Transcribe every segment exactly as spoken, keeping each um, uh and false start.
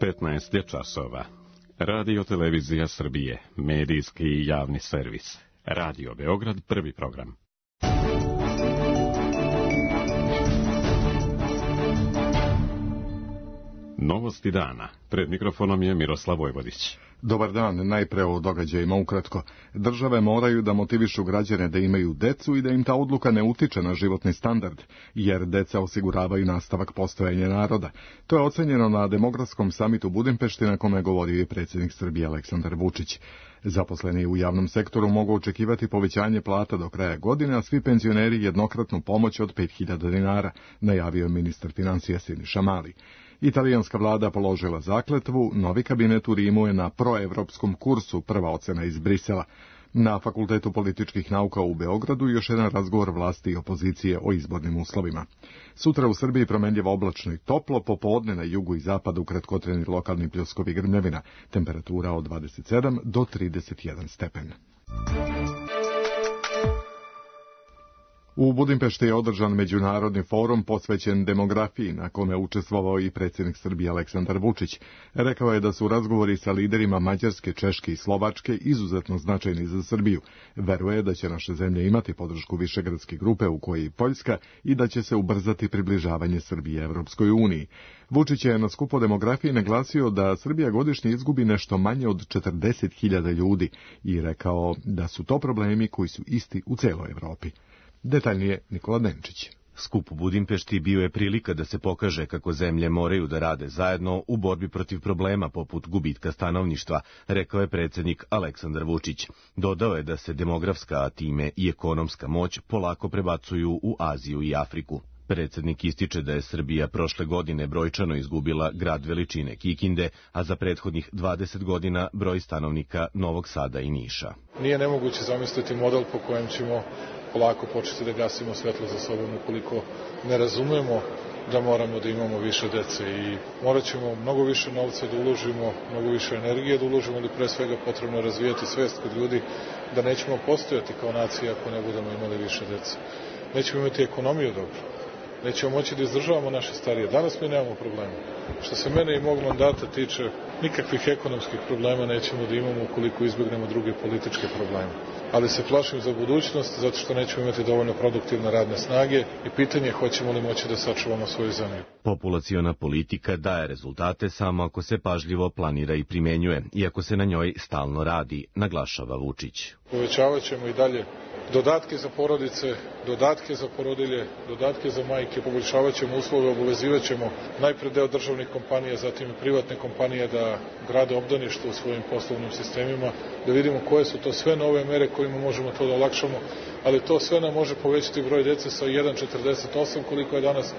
petnaest je časova. Radio Televizija Srbije, medijski i javni servis. Radio Beograd, prvi program. Novosti dana. Pred mikrofonom je Miroslav Vojvodić. Dobar dan, najpre o događajima ukratko. Države moraju da motivišu građane da imaju decu i da im ta odluka ne utiče na životni standard, jer deca osiguravaju nastavak postojanja naroda. To je ocenjeno na demografskom samitu Budimpešti na kome govorio i predsjednik Srbije Aleksandar Vučić. Zaposleni u javnom sektoru mogu očekivati povećanje plata do kraja godine, a svi penzioneri jednokratnu pomoć od pet hiljada dinara, najavio je ministar financija Siniša Mali. Italijanska vlada položila zakletvu, novi kabinet u Rimu je na proevropskom kursu, prva ocena iz Brisela. Na Fakultetu političkih nauka u Beogradu još jedan razgovor vlasti i opozicije o izbornim uslovima. Sutra u Srbiji promenljivo oblačno i toplo, popodne na jugu i zapadu kratkotreni lokalni pljuskovi grmljavina, temperatura od dvadeset sedam do trideset jedan stepen. U Budimpešti je održan međunarodni forum posvećen demografiji, na kome učestvovao i predsjednik Srbije Aleksandar Vučić. Rekao je da su razgovori sa liderima Mađarske, Češke i Slovačke izuzetno značajni za Srbiju. Veruje da će naše zemlje imati podršku Višegradske grupe u kojoj i Poljska i da će se ubrzati približavanje Srbije Evropskoj uniji. Vučić je na skupu demografiji naglasio da Srbija godišnje izgubi nešto manje od četrdeset hiljada ljudi i rekao da su to problemi koji su isti u celoj Evropi. Detaljnije Nikola Denčić. Skup u Budimpešti bio je prilika da se pokaže kako zemlje moraju da rade zajedno u borbi protiv problema poput gubitka stanovništva, rekao je predsjednik Aleksandar Vučić. Dodao je da se demografska, a time i ekonomska moć polako prebacuju u Aziju i Afriku. Predsjednik ističe da je Srbija prošle godine brojčano izgubila grad veličine Kikinde, a za prethodnih dvadeset godina broj stanovnika Novog Sada i Niša. Nije nemoguće zamisliti model po kojem ćemo polako početi da gasimo svetlo za sobom ukoliko ne razumemo da moramo da imamo više dece i morat ćemo mnogo više novca da uložimo, mnogo više energije da uložimo, ali pre svega potrebno razvijati svest kod ljudi da nećemo postojati kao nacija ako ne budemo imali više dece. Nećemo imati ekonomiju dobro. Nećemo moći da izdržavamo naše starije. Danas mi nemamo problema. Što se mene i mog mandata tiče, nikakvih ekonomskih problema nećemo da imamo ukoliko izbjegnemo druge političke probleme. Ali se plašim za budućnost zato što nećemo imati dovoljno produktivne radne snage i pitanje je hoćemo li moći da sačuvamo svoju zemlju. Populaciona politika daje rezultate samo ako se pažljivo planira i primenjuje, iako se na njoj stalno radi, naglašava Vučić. Povećavat ćemo i dalje dodatke za porodice, dodatke za porodilje, dodatke za majke, poboljšavat ćemo uslove, obavezivat ćemo najpre deo državnih kompanija, zatim i privatne kompanije da grade obdaništvo u svojim poslovnim sistemima, da vidimo koje su to sve nove mere kojima možemo to da olakšamo, ali to sve nam može povećati broj dece sa jedan zarez četrdeset osam koliko je danas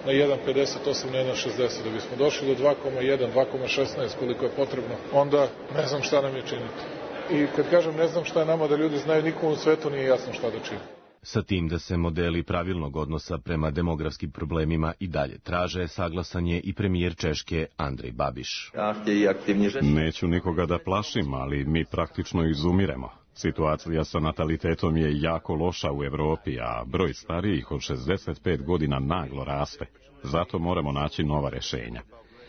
na jedan zarez pedeset osam na jedan zarez šezdeset. Da bismo došli do dva zarez jedan, dva zarez šesnaest koliko je potrebno, onda ne znam šta nam je činiti. I kad kažem ne znam šta je nama da ljudi znaju, nikom u svetu nije jasno šta da čini. Sa tim da se modeli pravilnog odnosa prema demografskim problemima i dalje traže, saglasan je i premijer Češke Andrej Babiš. Neću nikoga da plašim, ali mi praktično izumiremo. Situacija sa natalitetom je jako loša u Evropi, a broj starijih od šezdeset pet godina naglo raste. Zato moramo naći nova rešenja.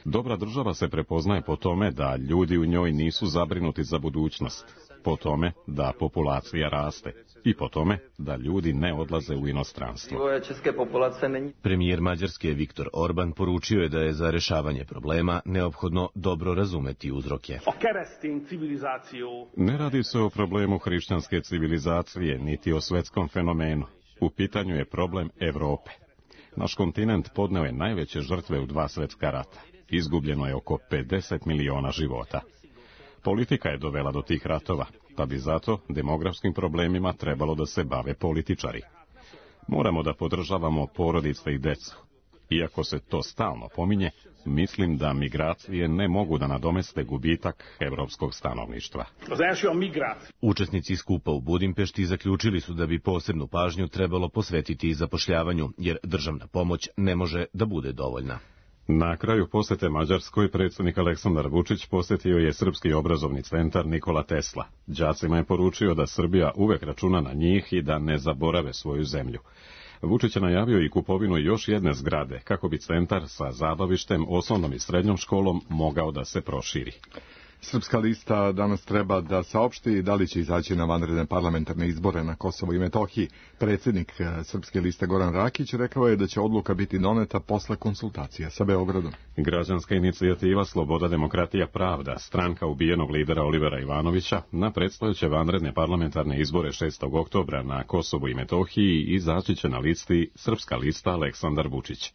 Dobra država se prepoznaje po tome da ljudi u njoj nisu zabrinuti za budućnost, po tome da populacija raste i po tome da ljudi ne odlaze u inostranstvo. Premijer Mađarske Viktor Orban poručio je da je za rešavanje problema neophodno dobro razumeti uzroke. Ne radi se o problemu hrišćanske civilizacije, niti o svetskom fenomenu. U pitanju je problem Evrope. Naš kontinent podneo je najveće žrtve u dva svetska rata. Izgubljeno je oko pedeset miliona života. Politika je dovela do tih ratova, pa bi zato demografskim problemima trebalo da se bave političari. Moramo da podržavamo porodice i decu. Iako se to stalno pominje, mislim da migracije ne mogu da nadomeste gubitak evropskog stanovništva. Učesnici skupa u Budimpešti zaključili su da bi posebnu pažnju trebalo posvetiti i zapošljavanju, jer državna pomoć ne može da bude dovoljna. Na kraju posete Mađarskoj predsjednik Aleksandar Vučić posjetio je Srpski obrazovni centar Nikola Tesla. Đacima je poručio da Srbija uvek računa na njih i da ne zaborave svoju zemlju. Vučić je najavio i kupovinu još jedne zgrade, kako bi centar sa zabavištem, osnovnom i srednjom školom mogao da se proširi. Srpska lista danas treba da saopšti da li će izaći na vanredne parlamentarne izbore na Kosovu i Metohiji. Predsjednik Srpske liste Goran Rakić rekao je da će odluka biti doneta posle konsultacija sa Beogradom. Građanska inicijativa Sloboda, demokratija, pravda, stranka ubijenog lidera Olivera Ivanovića, na predstojeće vanredne parlamentarne izbore šestog oktobra na Kosovu i Metohiji izaći će na listi Srpska lista Aleksandar Vučić.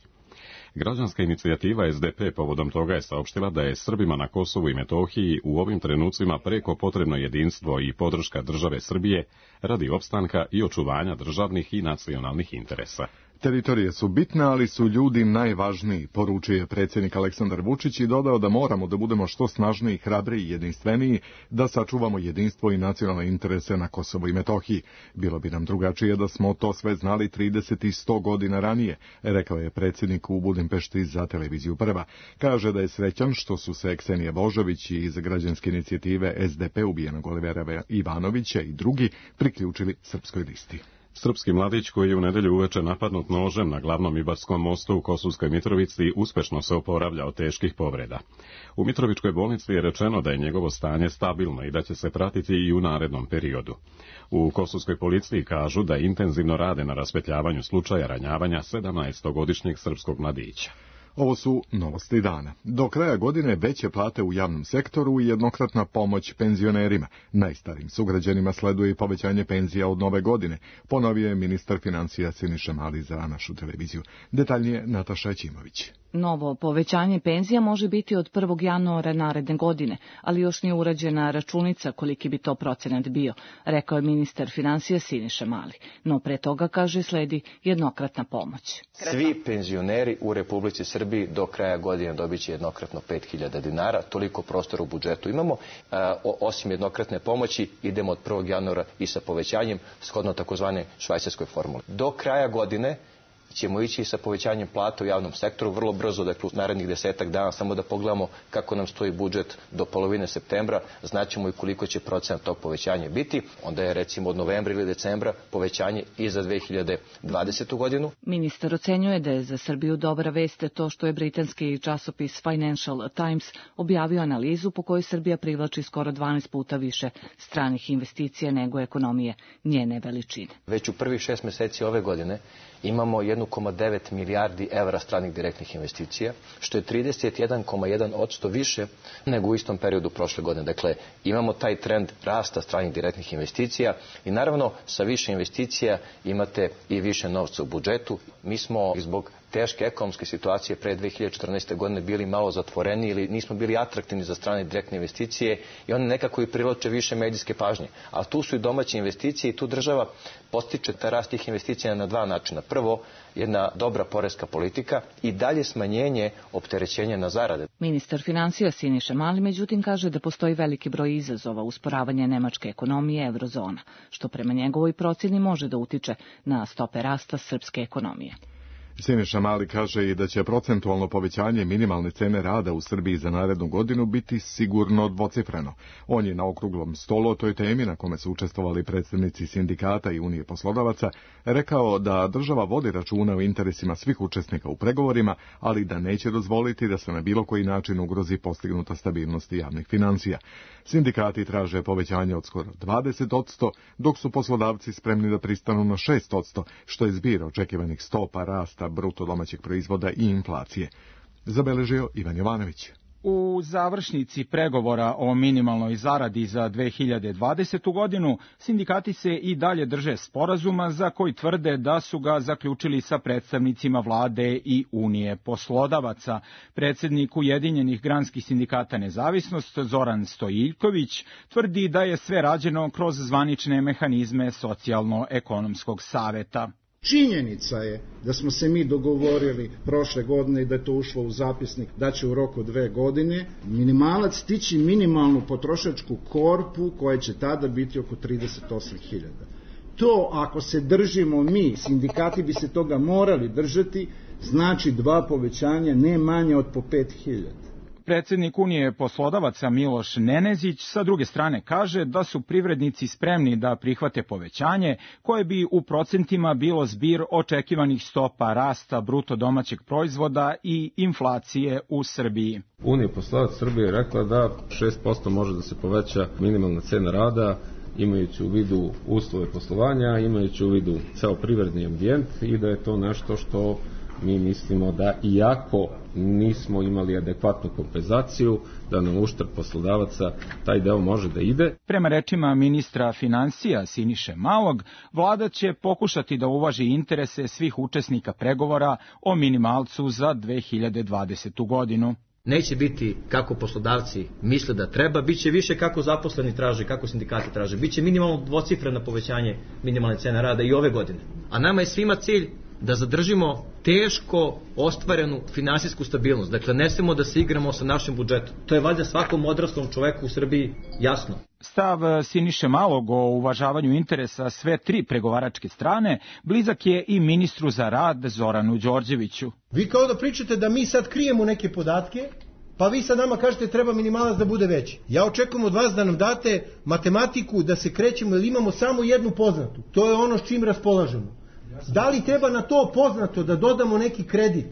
Građanska inicijativa S D P povodom toga je saopštila da je Srbima na Kosovu i Metohiji u ovim trenucima preko potrebno jedinstvo i podrška države Srbije radi opstanka i očuvanja državnih i nacionalnih interesa. Teritorije su bitne, ali su ljudi najvažniji, poručio je predsjednik Aleksandar Vučić i dodao da moramo da budemo što snažniji, hrabriji i jedinstveniji, da sačuvamo jedinstvo i nacionalne interese na Kosovu i Metohiji. Bilo bi nam drugačije da smo to sve znali trideset i sto godina ranije, rekao je predsjednik u Budimpešti za televiziju Prva. Kaže da je srećan što su se Ksenija Božović iz građanske inicijative S D P ubijenog Olivera Ivanovića i drugi priključili Srpskoj listi. Srpski mladić koji je u nedelju uveče napadnut nožem na glavnom Ibarskom mostu u Kosovskoj Mitrovici uspešno se oporavlja od teških povreda. U Mitrovičkoj bolnici je rečeno da je njegovo stanje stabilno i da će se pratiti i u narednom periodu. U kosovskoj policiji kažu da intenzivno rade na raspetljavanju slučaja ranjavanja sedamnaestogodišnjeg srpskog mladića. Ovo su novosti dana. Do kraja godine veće plate u javnom sektoru i jednokratna pomoć penzionerima. Najstarijim sugrađanima sleduje i povećanje penzija od nove godine, ponovio je ministar financija Siniša Mali za našu televiziju. Detaljnije Nataša Ćimović. Novo povećanje penzija može biti od prvog januara naredne godine, ali još nije urađena računica koliki bi to procenat bio, rekao je ministar financija Siniša Mali. No pre toga, kaže, sledi jednokratna pomoć. Svi penzioneri u Republici Srbiji do kraja godine dobit će jednokratno pet hiljada dinara, toliko prostora u budžetu imamo. Osim jednokratne pomoći, idemo od prvog januara i sa povećanjem, shodno takozvane švajcarskoj formuli. Do kraja godine ćemo ići sa povećanjem plata u javnom sektoru vrlo brzo, dakle u narednih desetak dana, samo da pogledamo kako nam stoji budžet do polovine septembra, znaćemo i koliko će procenat tog povećanja biti. Onda je recimo od novembra ili decembra povećanje i za dve hiljade dvadesetu godinu. Ministar ocenjuje da je za Srbiju dobra vest to što je britanski časopis Financial Times objavio analizu po kojoj Srbija privlači skoro dvanaest puta više stranih investicija nego ekonomije njene veličine. Već u prvih šest meseci ove godine imamo jedan zarez devet milijardi evra stranih direktnih investicija, što je trideset jedan zarez jedan posto više nego u istom periodu prošle godine. Dakle, imamo taj trend rasta stranih direktnih investicija i naravno sa više investicija imate i više novca u budžetu. Mi smo zbog teške ekonomske situacije pre dve hiljade četrnaeste. godine bili malo zatvoreni ili nismo bili atraktivni za strane direktne investicije i one nekako i privlače više medijske pažnje. A tu su i domaće investicije i tu država postiče taj rast tih investicija na dva načina. Prvo, jedna dobra poreska politika i dalje smanjenje opterećenja na zarade. Ministar financija Siniša Mali međutim kaže da postoji veliki broj izazova usporavanja nemačke ekonomije eurozona, što prema njegovoj procjeni može da utiče na stope rasta srpske ekonomije. Siniša Mali kaže i da će procentualno povećanje minimalne cene rada u Srbiji za narednu godinu biti sigurno dvocifreno. On je na okruglom stolu o toj temi, na kome su učestvovali predstavnici sindikata i Unije poslodavaca, rekao da država vodi računa o interesima svih učesnika u pregovorima, ali da neće dozvoliti da se na bilo koji način ugrozi postignuta stabilnost javnih financija. Sindikati traže povećanje od skoro dvadeset posto, dok su poslodavci spremni da pristanu na šest posto, što je zbir očekivanih stopa rasta bruto domaćeg proizvoda i inflacije. Zabeležio Ivan Jovanović. U završnici pregovora o minimalnoj zaradi za dve hiljade dvadesetu. godinu sindikati se i dalje drže sporazuma za koji tvrde da su ga zaključili sa predstavnicima vlade i Unije poslodavaca. Predsjednik Ujedinjenih granskih sindikata Nezavisnost Zoran Stojiljković tvrdi da je sve rađeno kroz zvanične mehanizme socijalno-ekonomskog saveta. Činjenica je da smo se mi dogovorili prošle godine i da je to ušlo u zapisnik da će u roku dve godine minimalac stići minimalnu potrošačku korpu koja će tada biti oko trideset osam hiljada. To ako se držimo mi, sindikati bi se toga morali držati, znači dva povećanja ne manje od po pet hiljada. Predsjednik Unije poslodavaca Miloš Nenezić sa druge strane kaže da su privrednici spremni da prihvate povećanje koje bi u procentima bilo zbir očekivanih stopa rasta bruto domaćeg proizvoda i inflacije u Srbiji. Unija poslodavaca Srbije je rekla da šest posto može da se poveća minimalna cena rada, imajući u vidu uslove poslovanja, imajući u vidu ceo privredni ambijent i da je to nešto što mi mislimo da iako nismo imali adekvatnu kompenzaciju, da na uštrb poslodavaca taj deo može da ide. Prema rečima ministra finansija Siniše Malog, vlada će pokušati da uvaži interese svih učesnika pregovora o minimalcu za dve hiljade dvadesetu godinu. Neće biti kako poslodavci misle da treba, bit će više kako zaposleni traže, kako sindikati traže. Biće minimalno dvocifreno povećanje minimalne cene rada i ove godine. A nama je svima cilj da zadržimo teško ostvarenu finansijsku stabilnost. Dakle, ne smemo da se igramo sa našim budžetom. To je valjda svakom odraslom čoveku u Srbiji jasno. Stav Siniše Malog o uvažavanju interesa sve tri pregovaračke strane blizak je i ministru za rad Zoranu Đorđeviću. Vi kao da pričate da mi sad krijemo neke podatke, pa vi sad nama kažete treba minimalac da bude veći. Ja očekujem od vas da nam date matematiku, da se krećemo, jer imamo samo jednu poznatu. To je ono s čim raspolažemo. Da li treba na to poznato da dodamo neki kredit?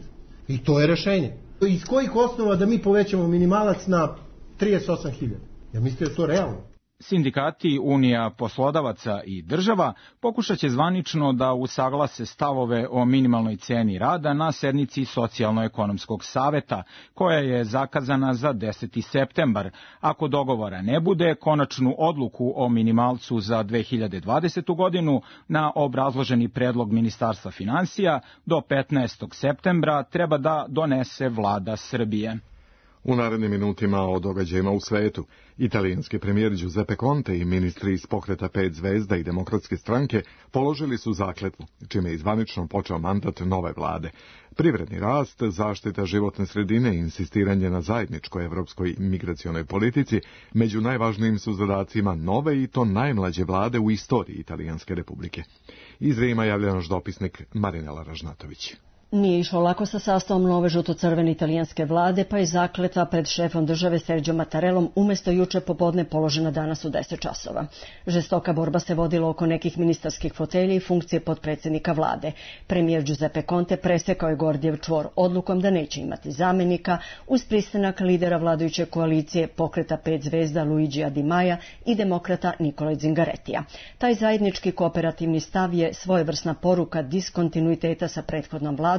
I to je rešenje. Iz kojih osnova da mi povećamo minimalac na trideset osam hiljada? Ja mislim da je to realno. Sindikati, Unija poslodavaca i država pokušat će zvanično da usaglase stavove o minimalnoj ceni rada na sednici Socijalno-ekonomskog saveta, koja je zakazana za deseti septembar. Ako dogovora ne bude, konačnu odluku o minimalcu za dve hiljade dvadesetu godinu na obrazloženi predlog Ministarstva finansija do petnaestog septembra treba da donese vlada Srbije. U narednim minutima o događajima u svetu, italijanski premijer Giuseppe Conte i ministri iz pokreta pet zvezda i demokratske stranke položili su zakletvu, čime je zvanično počeo mandat nove vlade. Privredni rast, zaštita životne sredine i insistiranje na zajedničkoj evropskoj migracionoj politici među najvažnijim su zadacima nove i to najmlađe vlade u istoriji Italijanske republike. Iz Rima javlja naš dopisnik Marinela Ražnatović. Nije išlo lako sa sastavom nove žuto-crvene italijanske vlade, pa je zakletva pred šefom države Sergio Mattarellom umjesto juče popodne položena danas u deset časova. Žestoka borba se vodila oko nekih ministarskih fotelja i funkcije potpredsjednika vlade. Premijer Giuseppe Conte presekao je Gordijev čvor odlukom da neće imati zamjenika uz pristanak lidera vladajuće koalicije pokreta pet zvezda Luigija Di Maja i demokrata Nikole Zingarettija. Taj zajednički kooperativni stav je svojevrsna poruka diskontinuiteta sa prethodnom vladom,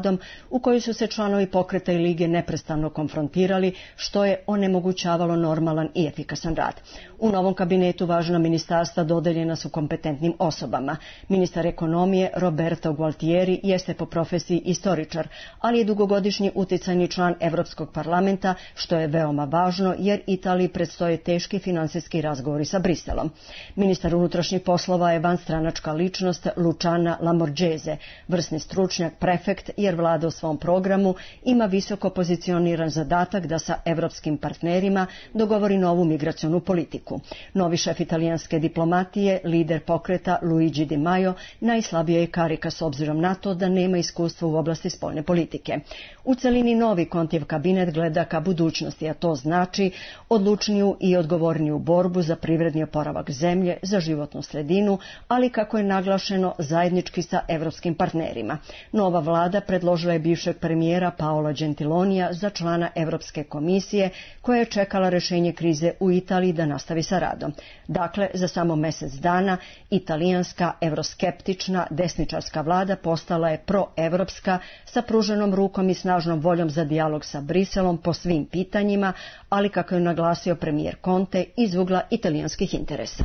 u kojoj su se članovi pokreta i lige neprestano konfrontirali, što je onemogućavalo normalan i efikasan rad. U novom kabinetu važna ministarstva dodeljena su kompetentnim osobama. Ministar ekonomije Roberto Gualtieri jeste po profesiji istoričar, ali je dugogodišnji uticajni član Evropskog parlamenta, što je veoma važno jer Italiji predstoje teški finansijski razgovori sa Briselom. Ministar unutrašnjih poslova je vanstranačka ličnost Luciana Lamorgese, vrsni stručnjak, prefekt, jer vlada u svom programu ima visoko pozicioniran zadatak da sa evropskim partnerima dogovori novu migracionu politiku. Novi šef italijanske diplomatije, lider pokreta Luigi Di Maio, najslabija je karika s obzirom na to da nema iskustva u oblasti spoljne politike. U celini novi Contijev kabinet gleda ka budućnosti, a to znači odlučniju i odgovorniju borbu za privredni oporavak zemlje, za životnu sredinu, ali kako je naglašeno zajednički sa evropskim partnerima. Nova vlada predložila je bivšeg premijera Paola Gentilonija za člana Evropske komisije, koja je čekala rješenje krize u Italiji da nastavi sa radom. Dakle, za samo mjesec dana italijanska evroskeptična desničarska vlada postala je proevropska sa pruženom rukom i snažnom voljom za dijalog sa Briselom po svim pitanjima, ali kako je naglasio premijer Conte iz ugla italijanskih interesa.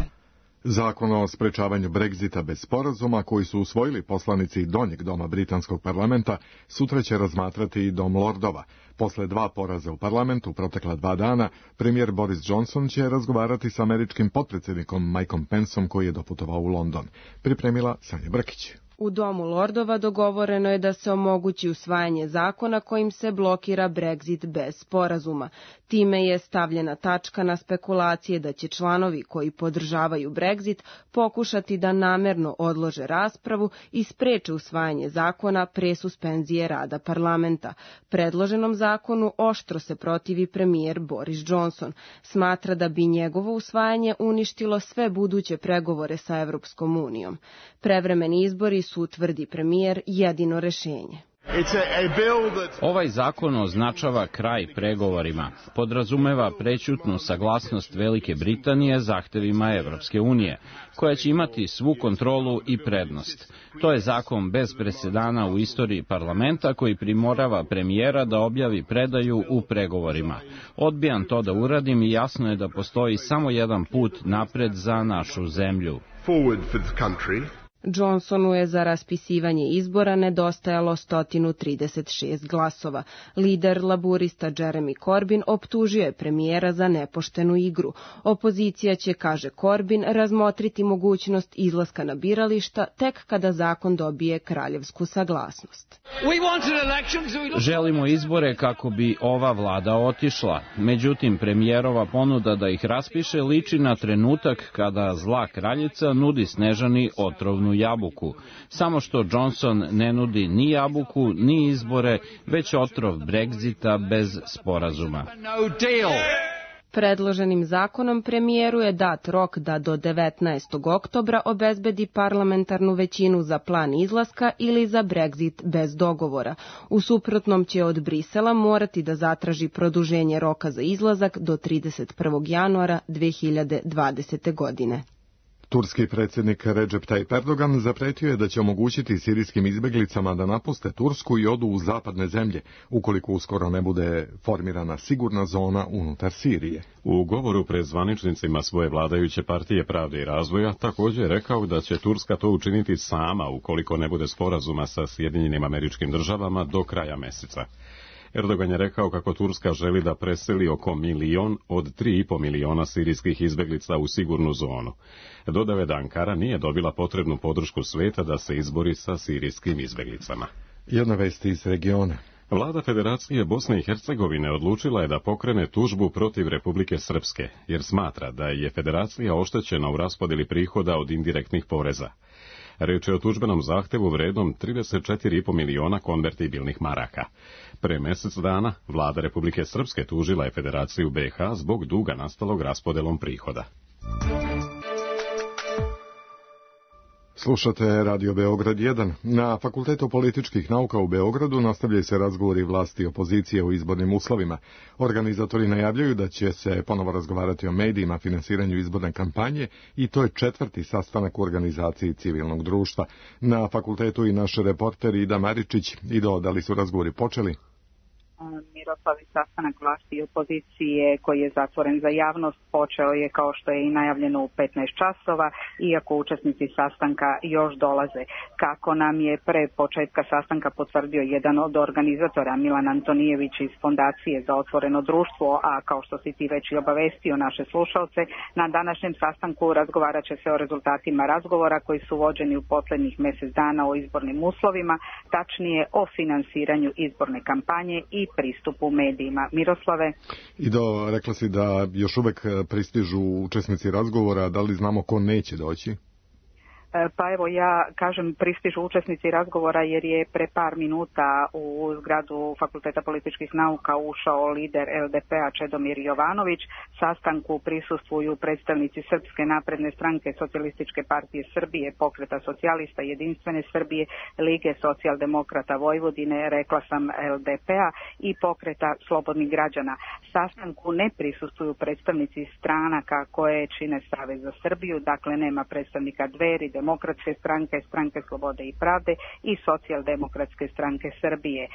Zakon o sprečavanju Brexita bez sporazuma koji su usvojili poslanici Donjeg doma britanskog parlamenta sutra će razmatrati i Dom Lordova. Posle dva poraza u parlamentu protekla dva dana, premijer Boris Johnson će razgovarati sa američkim potpredsjednikom Mikeom Penceom koji je doputovao u London. Pripremila Sanja Brkić. U Domu lordova dogovoreno je da se omogući usvajanje zakona kojim se blokira Brexit bez sporazuma. Time je stavljena tačka na spekulacije da će članovi koji podržavaju Brexit pokušati da namerno odlože raspravu i spreče usvajanje zakona pre suspenzije rada parlamenta. Predloženom zakonu oštro se protivi premijer Boris Johnson. Smatra da bi njegovo usvajanje uništilo sve buduće pregovore sa Evropskom unijom. Prevremeni izbori su, tvrdi premijer, jedino rešenje. Ovaj zakon označava kraj pregovorima. Podrazumeva prećutnu saglasnost Velike Britanije zahtevima Evropske unije, koja će imati svu kontrolu i prednost. To je zakon bez presedana u istoriji parlamenta koji primorava premijera da objavi predaju u pregovorima. Odbijam to da uradim i jasno je da postoji samo jedan put napred za našu zemlju. Johnsonu je za raspisivanje izbora nedostajalo sto trideset šest glasova. Lider laburista Jeremy Corbyn optužio je premijera za nepoštenu igru. Opozicija će, kaže Corbyn, razmotriti mogućnost izlaska na birališta tek kada zakon dobije kraljevsku saglasnost. Želimo izbore kako bi ova vlada otišla. Međutim, premijerova ponuda da ih raspiše liči na trenutak kada zla kraljica nudi Snežani otrovnu jabuku. Samo što Johnson ne nudi ni jabuku, ni izbore, već otrov Brexita bez sporazuma. Predloženim zakonom premijeru je dat rok da do devetnaestog oktobra obezbedi parlamentarnu većinu za plan izlaska ili za Brexit bez dogovora. U suprotnom će od Brisela morati da zatraži produženje roka za izlazak do trideset prvog januara dve hiljade dvadesete. godine. Turski predsjednik Recep Tayyip Erdogan zapretio je da će omogućiti sirijskim izbjeglicama da napuste Tursku i odu u zapadne zemlje, ukoliko uskoro ne bude formirana sigurna zona unutar Sirije. U govoru pred zvaničnicima svoje vladajuće partije Pravde i razvoja također je rekao da će Turska to učiniti sama ukoliko ne bude sporazuma sa Sjedinjenim Američkim Državama do kraja meseca. Erdogan je rekao kako Turska želi da preseli oko milion od tri i po miliona sirijskih izbjeglica u sigurnu zonu. Dodao je da Ankara nije dobila potrebnu podršku sveta da se izbori sa sirijskim izbjeglicama. Jedna vest iz regiona. Vlada Federacije Bosne i Hercegovine odlučila je da pokrene tužbu protiv Republike Srpske, jer smatra da je Federacija oštećena u raspodjeli prihoda od indirektnih poreza. Reč je o tužbenom zahtevu vrednom trideset četiri i po miliona konvertibilnih maraka. Pre mjesec dana vlada Republike Srpske tužila je Federaciju B iH zbog duga nastalog raspodelom prihoda. Slušate Radio Beograd jedan. Na Fakultetu političkih nauka u Beogradu nastavljaju se razgovori vlasti i opozicije o izbornim uslovima. Organizatori najavljaju da će se ponovo razgovarati o medijima, finansiranju izborne kampanje i to je četvrti sastanak u organizaciji civilnog društva. Na fakultetu i naš reporter Ida Maričić. Ido, da li su razgovori počeli? Miroslavi, sastanak vlasti i opozicije koji je zatvoren za javnost počeo je kao što je i najavljeno u petnaest časova, iako učesnici sastanka još dolaze. Kako nam je pre početka sastanka potvrdio jedan od organizatora, Milan Antonijević iz Fondacije za otvoreno društvo, a kao što si ti već i obavestio naše slušalce, na današnjem sastanku razgovarat će se o rezultatima razgovora koji su vođeni u posljednjih mjesec dana o izbornim uslovima, tačnije o finansiranju izborne kampanje i pristupu medijima. Miroslave? Ido, rekla si da još uvek pristižu učesnici razgovora, da li znamo ko neće doći? Pa evo ja kažem pristižu učesnici razgovora jer je pre par minuta u zgradu Fakulteta političkih nauka ušao lider L D P-a Čedomir Jovanović. Sastanku prisustvuju predstavnici Srpske napredne stranke, Socijalističke partije Srbije, Pokreta socijalista, Jedinstvene Srbije, Lige socijaldemokrata Vojvodine, rekla sam L D P-a i Pokreta slobodnih građana. Sastanku ne prisustvuju predstavnici stranaka koje čine Savez za Srbiju, dakle nema predstavnika Dveri, Demokratske stranke, Stranke slobode i pravde i Socijaldemokratske stranke Srbije.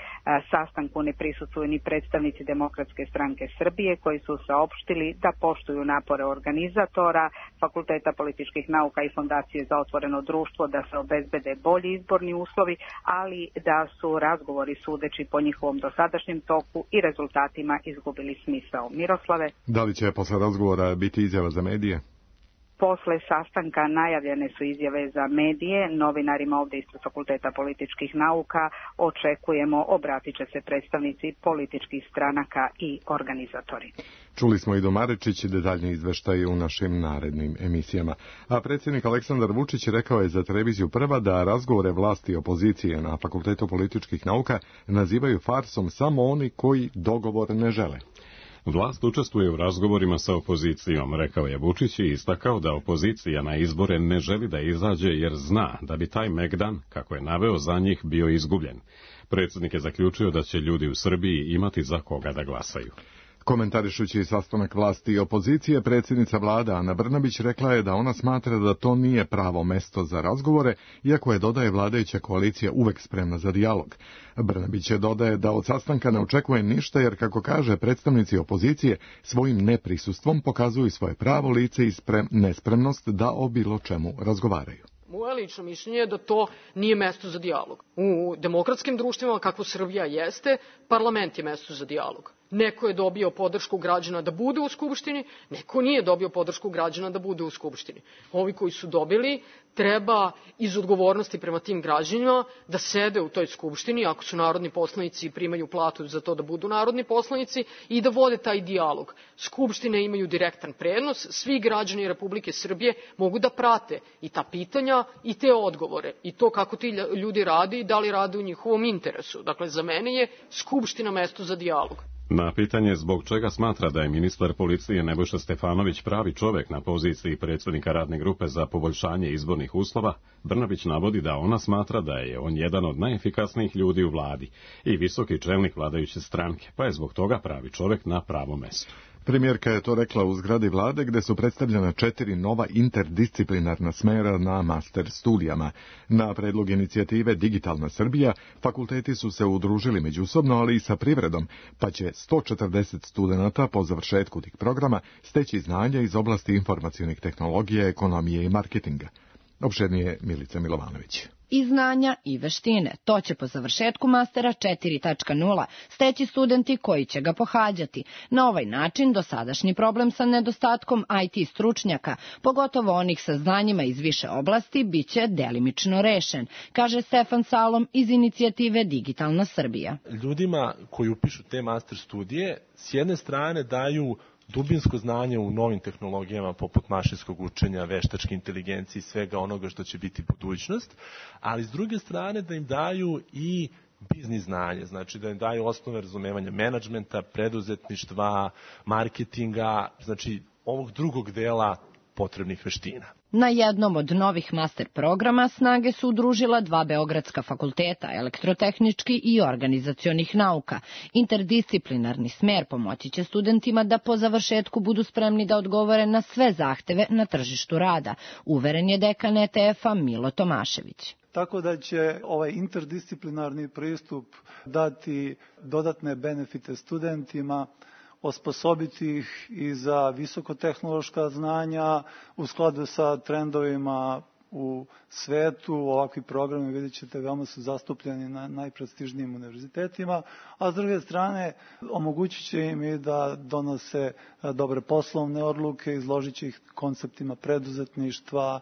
Sastanku ne prisustvuju ni predstavnici Demokratske stranke Srbije koji su saopštili da poštuju napore organizatora Fakulteta političkih nauka i Fondacije za otvoreno društvo da se obezbede bolji izborni uslovi, ali da su razgovori sudeći po njihovom dosadašnjem toku i rezultatima izgubili smisao. Miroslave? Da li će posle razgovora biti izjava za medije? Posle sastanka najavljene su izjave za medije, novinarima ovde ispred Fakulteta političkih nauka očekujemo, obratit će se predstavnici političkih stranaka i organizatori. Čuli smo i do Marečić detaljni izveštaje u našim narednim emisijama. A predsjednik Aleksandar Vučić rekao je za televiziju Prva da razgovore vlasti i opozicije na Fakultetu političkih nauka nazivaju farsom samo oni koji dogovor ne žele. Vlast učestvuje u razgovorima sa opozicijom, rekao je Vučić i istakao da opozicija na izbore ne želi da izađe jer zna da bi taj megdan, kako je naveo, za njih bio izgubljen. Predsjednik je zaključio da će ljudi u Srbiji imati za koga da glasaju. Komentarišući sastanak vlasti i opozicije, predsjednica vlade Ana Brnabić rekla je da ona smatra da to nije pravo mesto za razgovore, iako je, dodaje, vladajuća koalicija uvek spremna za dijalog. Brnabić je dodaje da od sastanka ne očekuje ništa, jer, kako kaže, predstavnici opozicije svojim neprisustvom pokazuju svoje pravo lice i sprem, nespremnost da o bilo čemu razgovaraju. Moje lično mišljenje je da to nije mesto za dijalog. U demokratskim društvima, kako Srbija jeste, parlament je mesto za dijalog. Neko je dobio podršku građana da bude u Skupštini, neko nije dobio podršku građana da bude u Skupštini. Ovi koji su dobili treba iz odgovornosti prema tim građanima da sede u toj Skupštini, ako su narodni poslanici i primaju platu za to da budu narodni poslanici, i da vode taj dijalog. Skupštine imaju direktan prenos, svi građani Republike Srbije mogu da prate i ta pitanja i te odgovore i to kako ti ljudi rade i da li rade u njihovom interesu. Dakle, za mene je Skupština mesto za dijalog. Na pitanje zbog čega smatra da je ministar policije Nebojša Stefanović pravi čovek na poziciji predsjednika radne grupe za poboljšanje izbornih uslova, Brnabić navodi da ona smatra da je on jedan od najefikasnijih ljudi u vladi i visoki čelnik vladajuće stranke, pa je zbog toga pravi čovek na pravom mestu. Premijerka je to rekla u zgradi vlade, gde su predstavljena četiri nova interdisciplinarna smera na master studijama. Na predlog inicijative Digitalna Srbija, fakulteti su se udružili međusobno, ali i sa privredom, pa će sto četrdeset studenata po završetku tih programa steći znanja iz oblasti informacionih tehnologija, ekonomije i marketinga. Opširnije Milica Milovanović. I znanja i veštine. To će po završetku mastera četiri tačka nula steći studenti koji će ga pohađati. Na ovaj način dosadašnji problem sa nedostatkom I T stručnjaka, pogotovo onih sa znanjima iz više oblasti, bit će delimično rešen, kaže Stefan Salom iz inicijative Digitalna Srbija. Ljudima koji upišu te master studije s jedne strane daju dubinsko znanje u novim tehnologijama poput mašinskog učenja, veštačke inteligencije i svega onoga što će biti budućnost, ali s druge strane da im daju i biznis znanje, znači da im daju osnove razumevanja menadžmenta, preduzetništva, marketinga, znači ovog drugog dela potrebnih veština. Na jednom od novih master programa snage su udružila dva beogradska fakulteta, elektrotehnički i organizacionih nauka. Interdisciplinarni smer pomoći će studentima da po završetku budu spremni da odgovore na sve zahteve na tržištu rada, uveren je dekan E T F-a Milo Tomašević. Tako da će ovaj interdisciplinarni pristup dati dodatne benefite studentima, osposobiti ih i za visokotehnološka znanja u skladu sa trendovima u svetu. Ovakvi programi, vidjet ćete, veoma su zastupljeni na najprestižnijim univerzitetima, a s druge strane omogućit će im i da donose dobre poslovne odluke, izložit će ih konceptima preduzetništva,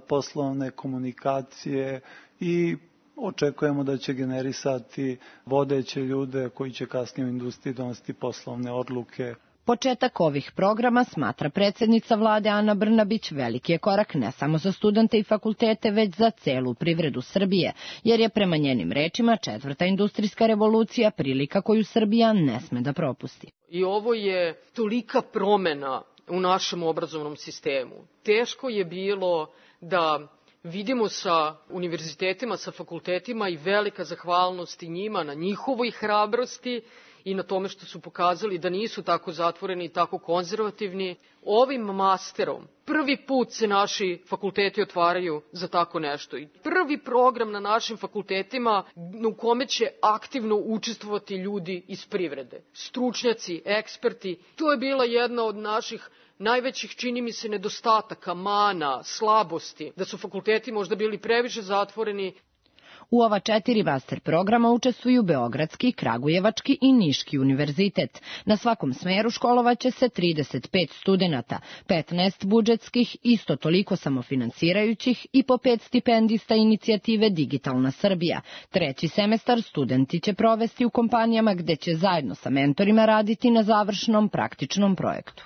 poslovne komunikacije i očekujemo da će generisati vodeće ljude koji će kasnije u industriji donositi poslovne odluke. Početak ovih programa, smatra predsjednica vlade Ana Brnabić, veliki je korak ne samo za studente i fakultete, već za celu privredu Srbije, jer je prema njenim rečima četvrta industrijska revolucija prilika koju Srbija ne sme da propusti. I ovo je tolika promena u našem obrazovnom sistemu. Teško je bilo da vidimo sa univerzitetima, sa fakultetima i velika zahvalnost i njima na njihovoj hrabrosti i na tome što su pokazali da nisu tako zatvoreni i tako konzervativni. Ovim masterom prvi put se naši fakulteti otvaraju za tako nešto. I prvi program na našim fakultetima u kome će aktivno učestvovati ljudi iz privrede. Stručnjaci, eksperti. To je bila jedna od naših najvećih, čini mi se, nedostataka, mana, slabosti, da su fakulteti možda bili previše zatvoreni. U ova četiri master programa učestvuju Beogradski, Kragujevački i Niški univerzitet. Na svakom smeru školovaće se trideset pet studenata, petnaest budžetskih, isto toliko samofinansirajućih i po pet stipendista inicijative Digitalna Srbija. Treći semestar studenti će provesti u kompanijama gde će zajedno sa mentorima raditi na završnom praktičnom projektu.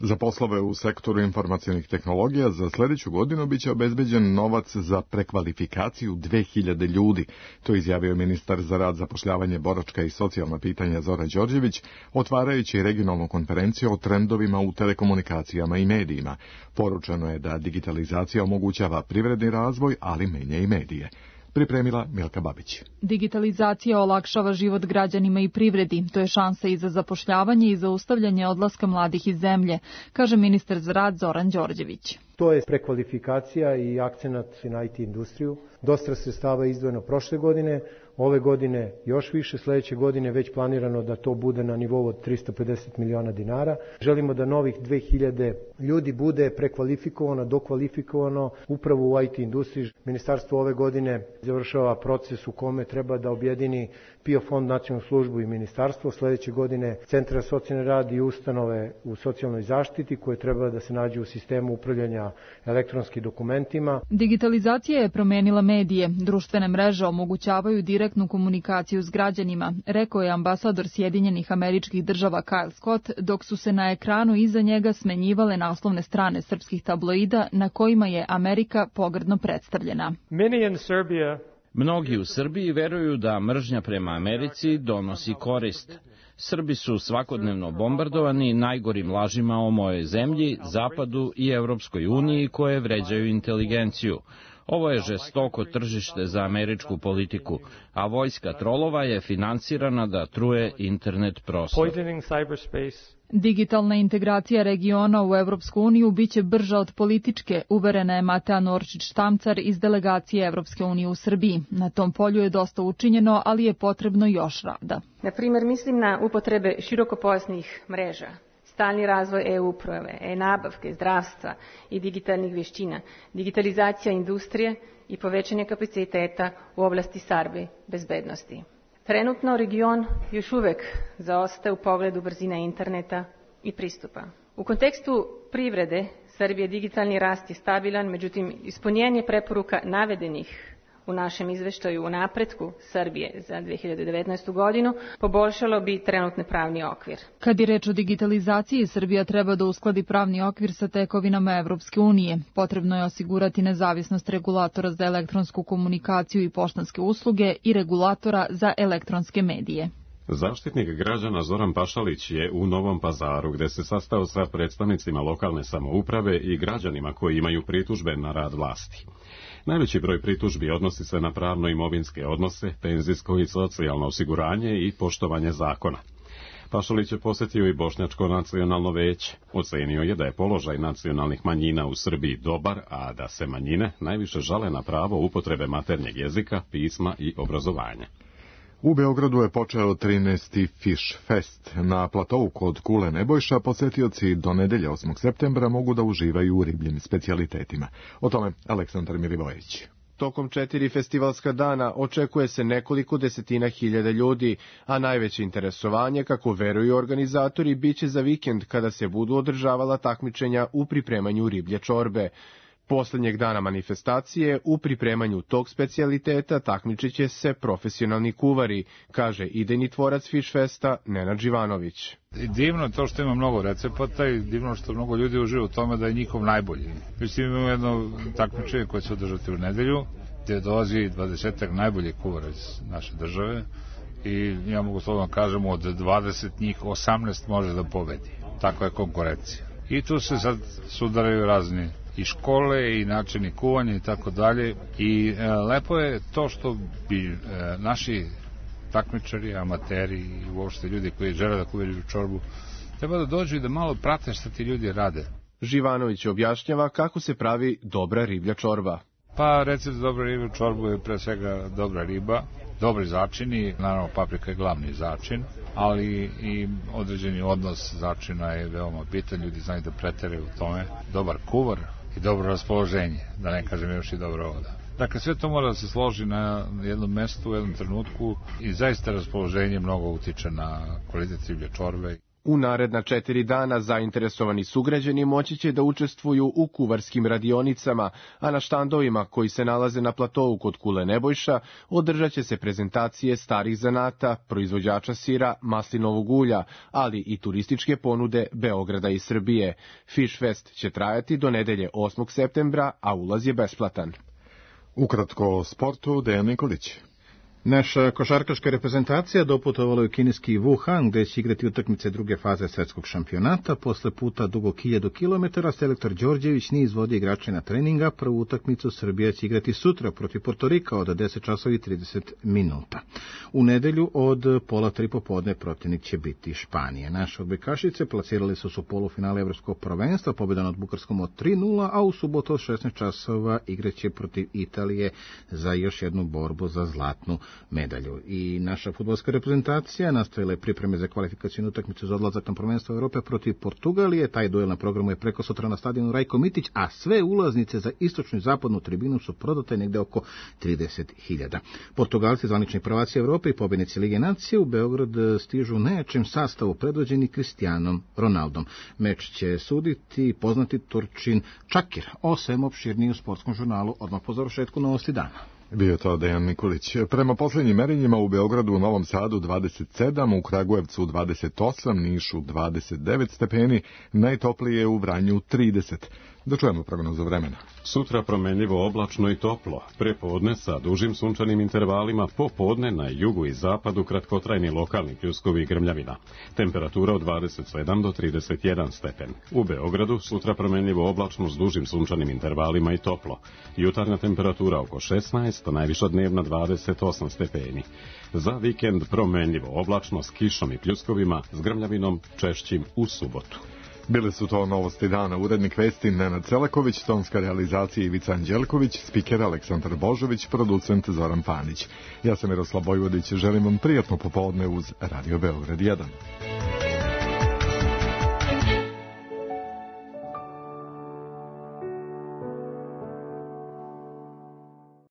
Za poslove u sektoru informacionih tehnologija za sljedeću godinu biće obezbeđen novac za prekvalifikaciju dve hiljade ljudi. To izjavio ministar za rad, zapošljavanje, boračka i socijalna pitanja Zoran Đorđević, otvarajući regionalnu konferenciju o trendovima u telekomunikacijama i medijima. Poručeno je da digitalizacija omogućava privredni razvoj, ali menja i medije. Pripremila Milka Babić. Digitalizacija olakšava život građanima i privredi. To je šansa i za zapošljavanje i zaustavljanje odlaska mladih iz zemlje, kaže ministar za rad Zoran Đorđević. To je prekvalifikacija i akcenat na I T industriju. Dosta sredstava je izdvojeno prošle godine, ove godine još više, sljedeće godine već planirano da to bude na nivou od trista pedeset miliona dinara. Želimo da novih dve hiljade ljudi bude prekvalifikovano, dokvalifikovano upravo u I T industriji. Ministarstvo ove godine završava proces u kome treba da objedini P I O fond, nacionalnu službu i ministarstvo. Sljedeće godine centra socijalni rad i ustanove u socijalnoj zaštiti koje treba da se nađu u sistemu upravljanja elektronskim dokumentima. Digitalizacija je promenila medije. Društvene mreže omogućavaju direktnu komunikaciju s građanima, rekao je ambasador Sjedinjenih Američkih Država Kyle Scott, dok su se na ekranu iza njega smenjivale naslovne strane srpskih tabloida na kojima je Amerika pogrdno predstavljena. Mnogi u Srbiji veruju da mržnja prema Americi donosi korist. Srbi su svakodnevno bombardovani najgorim lažima o mojoj zemlji, Zapadu i Evropskoj uniji koje vređaju inteligenciju. Ovo je žestoko tržište za američku politiku, a vojska trolova je finansirana da truje internet prostor. Digitalna integracija regiona u Evropsku uniju biće brža od političke, uverena je Matea Norčić-Štamcar iz delegacije Evropske unije u Srbiji. Na tom polju je dosta učinjeno, ali je potrebno još rada. Na primjer, mislim na upotrebe širokopojasnih mreža, stalni razvoj e-uprave, e-nabavke, zdravstva i digitalnih vještina, digitalizacija industrije i povećanje kapaciteta u oblasti sarbe bezbednosti. Trenutno region još uvek zaostaje u pogledu brzine interneta i pristupa. U kontekstu privrede Srbije digitalni rast je stabilan, međutim ispunjenje preporuka navedenih u našem izveštaju o napretku Srbije za dve hiljade devetnaestu. godinu poboljšalo bi trenutni pravni okvir. Kad je reč o digitalizaciji, Srbija treba da uskladi pravni okvir sa tekovinama Evropske unije. Potrebno je osigurati nezavisnost regulatora za elektronsku komunikaciju i poštanske usluge i regulatora za elektronske medije. Zaštitnik građana Zoran Pašalić je u Novom Pazaru, gde se sastao sa predstavnicima lokalne samouprave i građanima koji imaju pritužbe na rad vlasti. Najveći broj pritužbi odnosi se na pravno-imovinske odnose, penzijsko i socijalno osiguranje i poštovanje zakona. Pašalić je posjetio i Bošnjačko nacionalno veće. Ocenio je da je položaj nacionalnih manjina u Srbiji dobar, a da se manjine najviše žale na pravo upotrebe maternjeg jezika, pisma i obrazovanja. U Beogradu je počeo trinaesti Fish Fest. Na platovu kod Kule Nebojša posetioci do nedelje osmog septembra mogu da uživaju u ribljim specijalitetima. O tome Aleksandar Milivojević. Tokom četiri festivalska dana očekuje se nekoliko desetina hiljada ljudi, a najveće interesovanje, kako veruju organizatori, biće za vikend kada se budu održavala takmičenja u pripremanju riblje čorbe. Poslednjeg dana manifestacije u pripremanju tog specijaliteta takmičit će se profesionalni kuvari, kaže idejni tvorac Fish Festa Nenad Živanović. Divno je to što ima mnogo recepata i divno što mnogo ljudi uživa u tome da je njihov najbolji. Mislim, imamo jedno takmičenje koje će održati u nedelju, gde dolazi dvadesetak najboljih kuvara iz naše države i ja mogu slobodno kažem od dvadeset njih osamnaest može da pobedi. Takva je konkurencija. I tu se sad sudaraju razni i škole i načini kuvanja i tako dalje i e, lepo je to što bi e, naši takmičari, amateri i uopšte ljudi koji žele da kuvaju čorbu treba da dođu i da malo prate šta ti ljudi rade. Živanović objašnjava kako se pravi dobra riblja čorba. Pa recept za dobra riblja čorbu je pre svega dobra riba, dobri začini, naravno paprika je glavni začin, ali i određeni odnos začina je veoma bitan, ljudi znaju da preteraju u tome, dobar kuvar i dobro raspoloženje, da ne kažem još i dobra voda. Dakle, sve to mora da se složi na jednom mestu, u jednom trenutku i zaista raspoloženje mnogo utiče na kvalitet riblje čorbe. U naredna četiri dana zainteresovani sugrađani moći će da učestvuju u kuvarskim radionicama, a na štandovima koji se nalaze na platovu kod Kule Nebojša održat će se prezentacije starih zanata, proizvođača sira, maslinovog ulja, ali i turističke ponude Beograda i Srbije. Fish Fest će trajati do nedelje osmog septembra, a ulaz je besplatan. Ukratko o sportu, Dejan Nikolić. Naša košarkaška reprezentacija doputovala u kineski Wuhan, gde će igrati utakmice druge faze svetskog šampionata. Posle puta dugog hiljadu kilometara, selektor Đorđević nije izvodio igrače na treninga. Prvu utakmicu Srbija će igrati sutra protiv Portorika od deset časova i trideset minuta. U nedelju od pola tri popodne protivnik će biti Španije. Naše odbojkašice plasirali su se u polufinale evropskog prvenstva, pobjeda nad Bugarskom od tri nula, a u subotu od šesnaest časova igraće protiv Italije za još jednu borbu za zlatnu medalju. I naša fudbalska reprezentacija nastavila je pripreme za kvalifikacijnu utakmicu za odlazak na prvenstvo Evrope protiv Portugalije. Taj duel na programu je preko sutra na stadionu Rajko Mitić, a sve ulaznice za istočnu i zapadnu tribinu su prodate negde oko trideset hiljada. Portugalci, zvanični prvaci Evrope i pobednici Lige nacije, u Beograd stižu u najjačem sastavu predvođeni Cristianom Ronaldom. Meč će suditi poznati Turčin Čakir. O svem opširniji u sportskom žurnalu odmah po završetku Novosti dana. Bio to Dejan Nikolić. Prema poslednjim merenjima u Beogradu, u Novom Sadu dvadeset sedam, u Kragujevcu dvadeset osam, Nišu dvadeset devet stepeni, najtoplije u Vranju trideset. Da čujemo prognozu vremena. Sutra promenljivo oblačno i toplo. Prepodne sa dužim sunčanim intervalima, popodne na jugu i zapadu kratkotrajni lokalni pljuskovi i grmljavina. Temperatura od dvadeset sedam do trideset jedan stepen. U Beogradu sutra promenljivo oblačno s dužim sunčanim intervalima i toplo. Jutarnja temperatura oko šesnaest, a najviša dnevna dvadeset osam stepeni. Za vikend promenljivo oblačno s kišom i pljuskovima, s grmljavinom češćim u subotu. Bili su to Novosti dana, urednik vesti Nenad Celaković, tonska realizacija Ivica Anđelković, spiker Aleksandar Božović, producent Zoran Panić. Ja sam Miroslav Bojvodić, želim vam prijatno popodne uz Radio Beograd jedan.